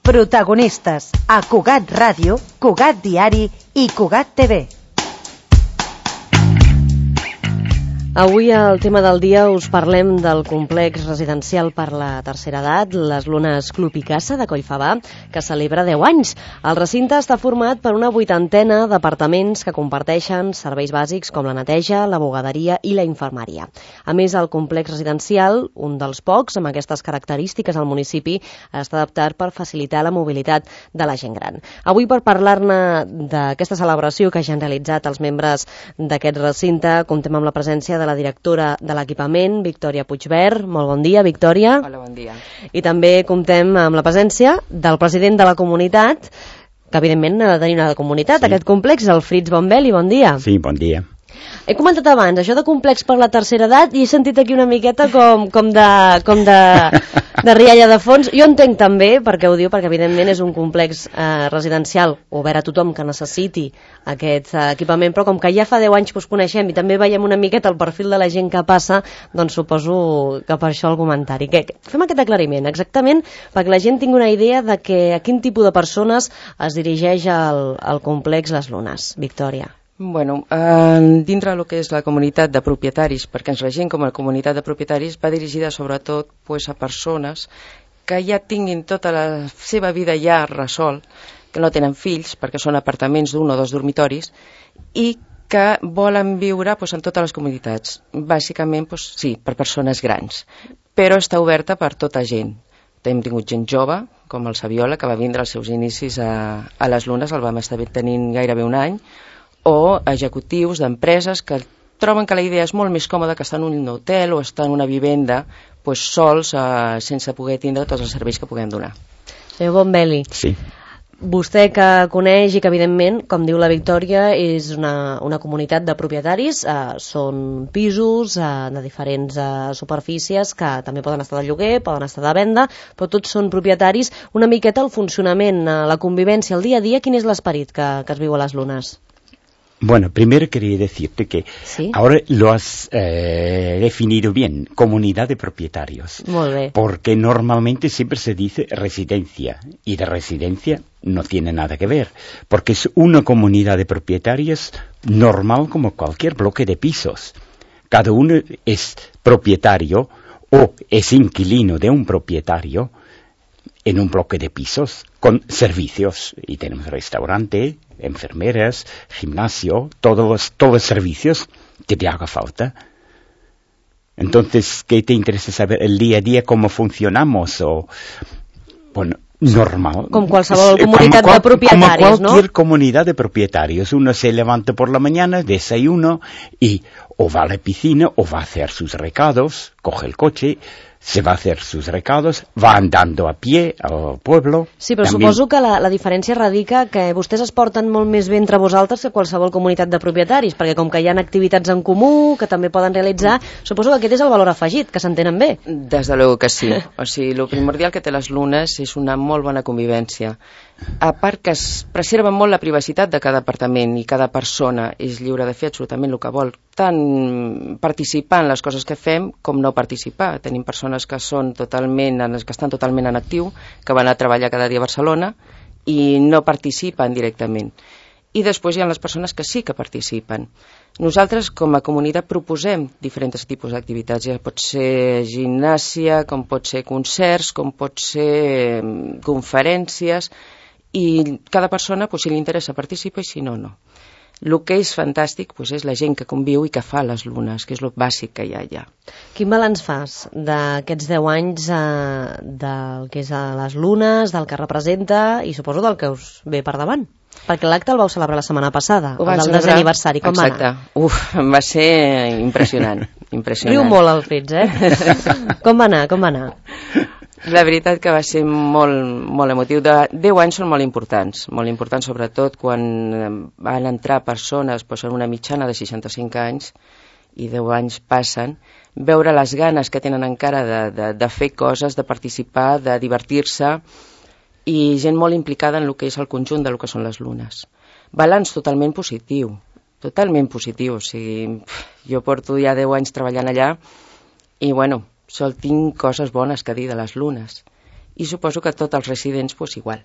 Protagonistes a Cugat Ràdio, Cugat Diari i Cugat TV. Avui al tema del dia us parlem del complex residencial per la tercera edat, les Lunes Club i Casa de Collfabà, que celebra 10 anys. El recinte està format per una 80ena d'apartaments que comparteixen serveis bàsics com la neteja, la bugaderia i la infermeria. A més, el complex residencial, un dels pocs amb aquestes característiques al municipi, està adaptat per facilitar la mobilitat de la gent gran. Avui, per parlar-ne d'aquesta celebració que ja han realitzat els membres d'aquest recinte, comptem amb la presència de la directora de l'equipament, Victòria Puigvert. Molt bon dia, Victòria. Hola, bon dia. I també comptem amb la presència del president de la comunitat, que evidentment ha de tenir una comunitat, aquest complex, el Fritz Bombelli. Bon dia. Sí, bon dia. He comentat abans, això de complex per la tercera edat, i he sentit aquí una miqueta com de rialla de fons. Jo entenc també, perquè ho diu, perquè evidentment és un complex residencial obert a tothom que necessiti aquest equipament, però com que ja fa 10 anys que us coneixem i també veiem una miqueta el perfil de la gent que passa, doncs suposo que per això el comentari. Fem aquest aclariment, exactament, perquè la gent tingui una idea de a quin tipus de persones es dirigeix al complex Les Lunes. Victòria. Bueno, dintre del que és la comunitat de propietaris, perquè ens regim com a comunitat de propietaris, va dirigida sobretot a persones que ja tinguin tota la seva vida ja resolt, que no tenen fills, perquè són apartaments d'un o dos dormitoris, i que volen viure en totes les comunitats. Bàsicament, sí, per persones grans, però està oberta per tota gent. Hem tingut gent jove, com el Saviola, que va vindre als seus inicis a Les Lunes, el vam estar tenint gairebé un any, o executius d'empreses que troben que la idea és molt més còmoda que estar en un hotel o estar en una vivenda sols, sense poder tindre tots els serveis que puguem donar. Senyor Bombelli, sí. Vostè que coneix i que evidentment, com diu la Victòria, és una comunitat de propietaris, són pisos de diferents superfícies que també poden estar de lloguer, poden estar de venda, però tots són propietaris. Una miqueta el funcionament, la convivència, el dia a dia, quin és l'esperit que es viu a Les Lunes? Bueno, primero quería decirte que ¿Sí? Ahora lo has definido bien, comunidad de propietarios. Muy bien. Porque normalmente siempre se dice residencia, y de residencia no tiene nada que ver, porque es una comunidad de propietarios normal como cualquier bloque de pisos. Cada uno es propietario o es inquilino de un propietario en un bloque de pisos con servicios, y tenemos restaurante, enfermeras, gimnasio, todos los servicios que te haga falta. Entonces, ¿qué te interesa saber el día a día, cómo funcionamos? Bueno, normal. Com qualsevol comunitat de propietaris, como cualquier comunidad de propietarios. Uno se levanta por la mañana, desayuno y o va a la piscina o va a hacer sus recados, coge el coche, se va a hacer sus recados, va andando a pie al pueblo. Sí, però també... suposo que la diferència radica que vostès es porten molt més bé entre vosaltres que qualsevol comunitat de propietaris, perquè com que hi ha activitats en comú que també poden realitzar, suposo que aquest és el valor afegit, que s'entenen bé. Des de luego que sí. O sigui, el primordial que té Les Lunes és una molt bona convivència. A part que es preserva molt la privacitat de cada apartament i cada persona és lliure de fer absolutament el que vol, tant participar en les coses que fem com no participar. Tenim persones que estan totalment en actiu, que van a treballar cada dia a Barcelona i no participen directament. I després hi ha les persones que sí que participen. Nosaltres, com a comunitat, proposem diferents tipus d'activitats. Ja pot ser gimnàsia, com pot ser concerts, com pot ser conferències, i cada persona, si li interessa, participa, i si no, no. El que és fantàstic és la gent que conviu i que fa Les Lunes, que és el bàsic que hi ha allà. Quin balanç fas d'aquests 10 anys del que és Les Lunes, del que representa i suposo del que us ve per davant? Perquè l'acte el vau celebrar la setmana passada, el del 10è aniversari. Com va anar? Va ser impressionant. Riu molt el Fritz, eh? Com va anar? La veritat que va ser molt emotiu. 10 anys són molt importants sobretot quan van entrar persones en una mitjana de 65 anys i 10 anys passen, veure les ganes que tenen encara de fer coses, de participar, de divertir-se, i gent molt implicada en el que és el conjunt del que són Les Lunes. Balanç totalment positiu, o sigui, jo porto ja 10 anys treballant allà i bueno, sol tinc coses bones que dir de Les Lunes. i suposo que tots els residents pues, igual.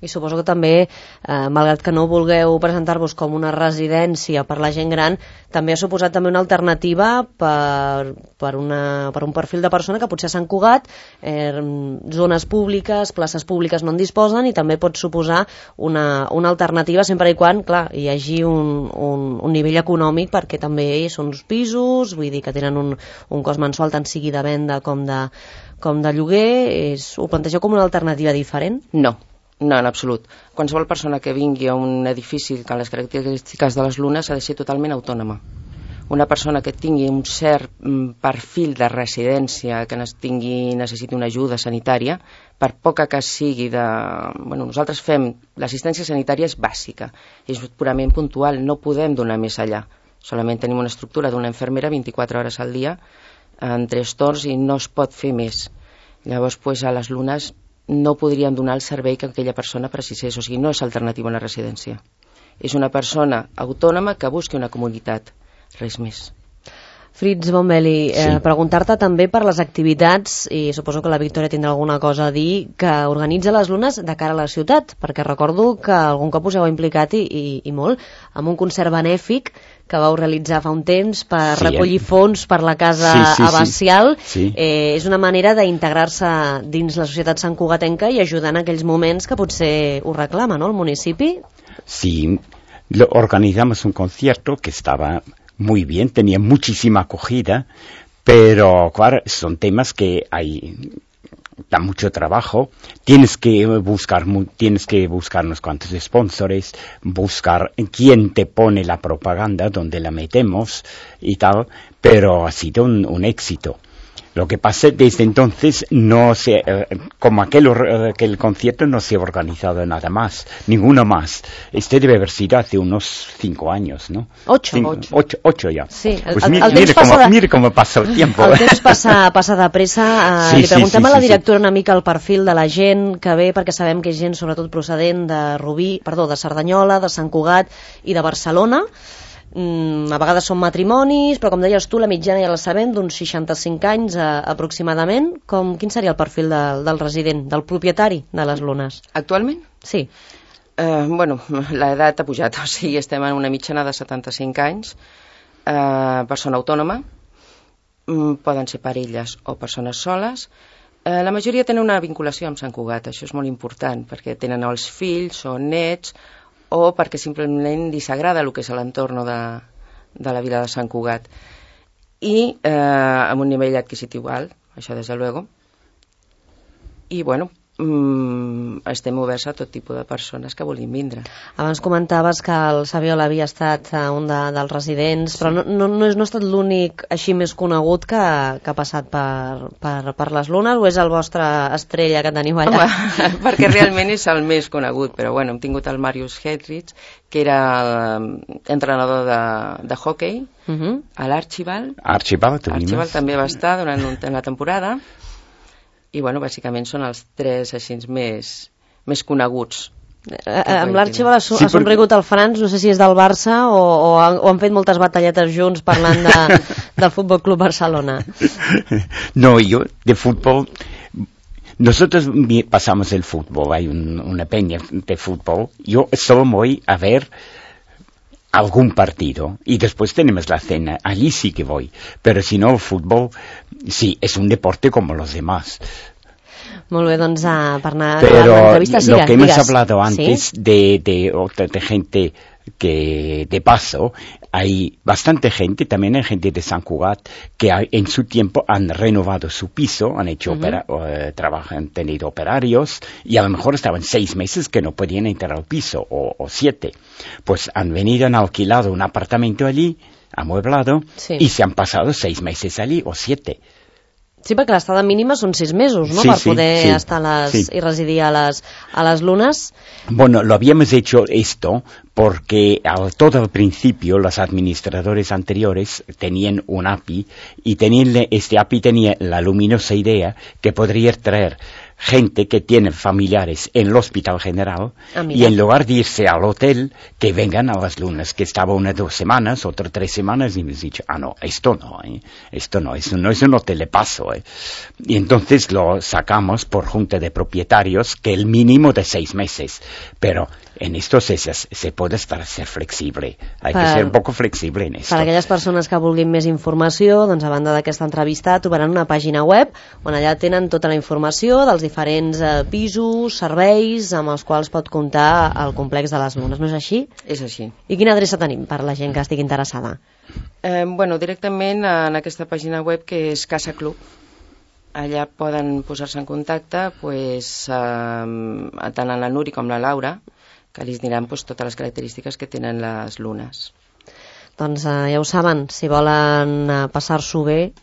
I suposo que també, malgrat que no vulgueu presentar-vos com una residència per la gent gran, també ha suposat també una alternativa per un perfil de persona que potser a Sant Cugat, zones públiques, places públiques no en disposen, i també pot suposar una alternativa sempre i quan, clar, hi hagi un nivell econòmic, perquè també són uns pisos, vull dir que tenen un cost mensual tant sigui de venda com de lloguer. Ho plantegeu com una alternativa diferent? No, en absolut. Qualsevol persona que vingui a un edifici amb les característiques de les Lunes ha de ser totalment autònoma. Una persona que tingui un cert perfil de residència, que necessiti una ajuda sanitària, per poca que sigui nosaltres fem... L'assistència sanitària és bàsica, és purament puntual, no podem donar més allà. Solament tenim una estructura d'una infermera 24 hores al dia, en 3 torns, i no es pot fer més. Llavors, a les Lunes no podríem donar el servei que aquella persona precisés, o sigui, no és alternativa a una residència. És una persona autònoma que busqui una comunitat, res més. Fritz Bombelli, preguntar-te també per les activitats, i suposo que la Victòria tindrà alguna cosa a dir, que organitza les Lunes de cara a la ciutat, perquè recordo que algun cop us heu implicat i molt, amb un concert benèfic que vau realitzar fa un temps per recollir fons per la casa abacial. És una manera d'integrar-se dins la societat santcugatenca i ajudar en aquells moments que potser us reclama, ¿no?, el municipi. Sí, organizamos un concierto que estaba muy bien, tenía muchísima acogida, pero claro, son temas que da mucho trabajo. Tienes que buscar unos cuantos sponsors, buscar quién te pone la propaganda, dónde la metemos y tal, pero ha sido un éxito. Lo que pasa desde entonces, como aquel concierto, no se ha organizado nada más, ninguno más. Debe haber sido hace unos 5 años, ¿no? 8 ya. Sí, pues mire cómo pasa el tiempo. El temps passa de pressa. Li preguntem a la directora una mica el perfil de la gent que ve, perquè sabem que és gent sobretot procedent de Cerdanyola, de Sant Cugat i de Barcelona. A vegades són matrimonis, però com deies tu, la mitjana ja la sabem, d'uns 65 anys aproximadament. Quin seria el perfil del resident, del propietari de les Lunes? Actualment? Sí. L'edat ha pujat, o sigui, estem en una mitjana de 75 anys, persona autònoma, poden ser parelles o persones soles. La majoria tenen una vinculació amb Sant Cugat, això és molt important, perquè tenen els fills o nets, o perquè simplement li s'agrada el que és l'entorn de la vila de Sant Cugat. I amb un nivell adquisitiu alt, això des de luego. I estem oberts a tot tipus de persones que vulguin vindre. Abans comentaves que el Saviola havia estat un dels residents, però no ha estat l'únic així més conegut que ha passat per les Lunes, o és el vostre estrella que teniu allà? Perquè realment és el més conegut, però hem tingut el Marius Hedrich, que era entrenador de hockey, a l'Archibald. Archibald també va estar durant la temporada. I, bàsicament són els 3 així més coneguts. Amb l'Archibald ha somrigut el Franz, no sé si és del Barça o han fet moltes batalletes junts parlant del Fútbol Club Barcelona. No, yo de fútbol... Nosotros pasamos el fútbol, hay una peña de fútbol. Yo solo voy a ver algún partido y después tenemos la cena, allí sí que voy, pero si no, el fútbol sí, es un deporte como los demás. Molt bé, doncs per anar pero a l'entrevista, lo que hemos hablado antes, ¿sí?, de gente que de paso, hay bastante gente, también hay gente de Sant Cugat que en su tiempo han renovado su piso, han hecho han tenido operarios y a lo mejor estaban 6 meses que no podían entrar al piso o 7. Pues han venido, han alquilado un apartamento allí, amueblado, sí, y se han pasado 6 meses allí o 7. Sí, perquè l'estada mínima són 6 mesos, ¿no? Sí, per poder estar y residir a las Lunes. Bueno, lo habíamos hecho esto porque todo al principio los administradores anteriores tenían un API y este API tenía la luminosa idea que podría traer gente que tiene familiares en el Hospital General y en lugar de irse al hotel, que vengan a las lunas, que estaba 1 o 2 semanas, otra 3 semanas, y me he dicho, no, esto no es un hotel de paso. Y entonces lo sacamos por junta de propietarios, que el mínimo de 6 meses, pero en esto se puede ser flexible, hay que ser un poco flexible en esto. Per a aquelles persones que vulguin més informació, doncs a banda d'aquesta entrevista trobaran una pàgina web on allà tenen tota la informació dels diferents pisos, serveis amb els quals pot comptar el complex de les Lunes, no és així? És així. I quina adreça tenim per la gent que estigui interessada? Directament en aquesta pàgina web que és Casa Club. Allà poden posar-se en contacte tant en la Núria com la Laura, que li diran totes les característiques que tenen les lunes. Doncs ja ho saben, si volen passar-s'ho bé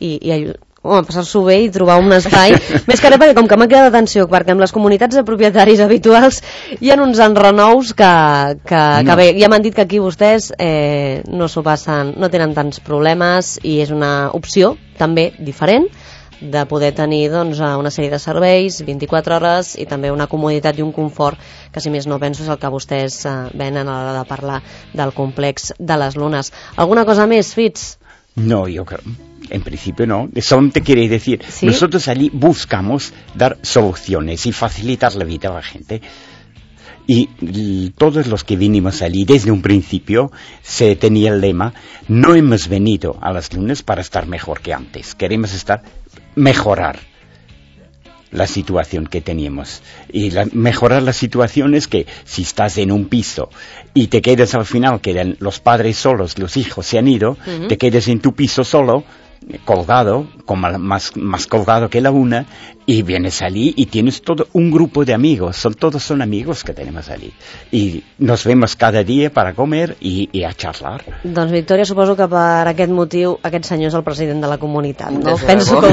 passar-s'ho bé i trobar un espai més que res perquè com que m'ha quedat atenció perquè amb les comunitats de propietaris habituals hi ha uns enrenous que bé, ja m'han dit que aquí vostès no s'ho passen, no tenen tants problemes i és una opció també diferent de poder tenir una sèrie de serveis 24 hores i també una comoditat i un confort que si més no penso és el que vostès venen a l'hora de parlar del complex de les Lunes. Alguna cosa més, Fitz? No, yo creo, en principio no. Solamente quiere decir, ¿sí? Nosotros allí buscamos dar soluciones y facilitar la vida a la gente. Y todos los que vinimos allí desde un principio se tenía el lema, no hemos venido a las Lunas para estar mejor que antes, queremos mejorar la situación que teníamos. Y mejorar la situación es que si estás en un piso y te quedas al final, quedan los padres solos, los hijos se han ido, te quedas en tu piso solo, colgado, más colgado que la una, y vienes allí y tienes todo un grupo de amigos, todos son amigos que tenemos allí. Y nos vemos cada día para comer i a charlar. Doncs Victòria, suposo que per aquest motiu aquest senyor és el president de la comunitat, no? Penso que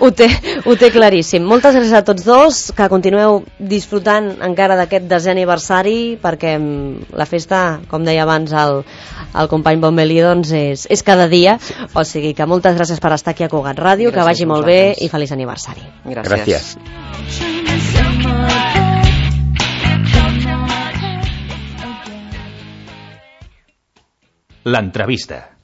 ho té claríssim. Moltes gràcies a tots dos, que continueu disfrutant encara d'aquest 10è aniversari, perquè la festa, com deia abans el company Bonbelí, doncs és cada dia, o sigui que moltes gràcies per estar aquí a Cugat Ràdio, que vagi molt bé i feliç aniversari. Gràcies. L'entrevista.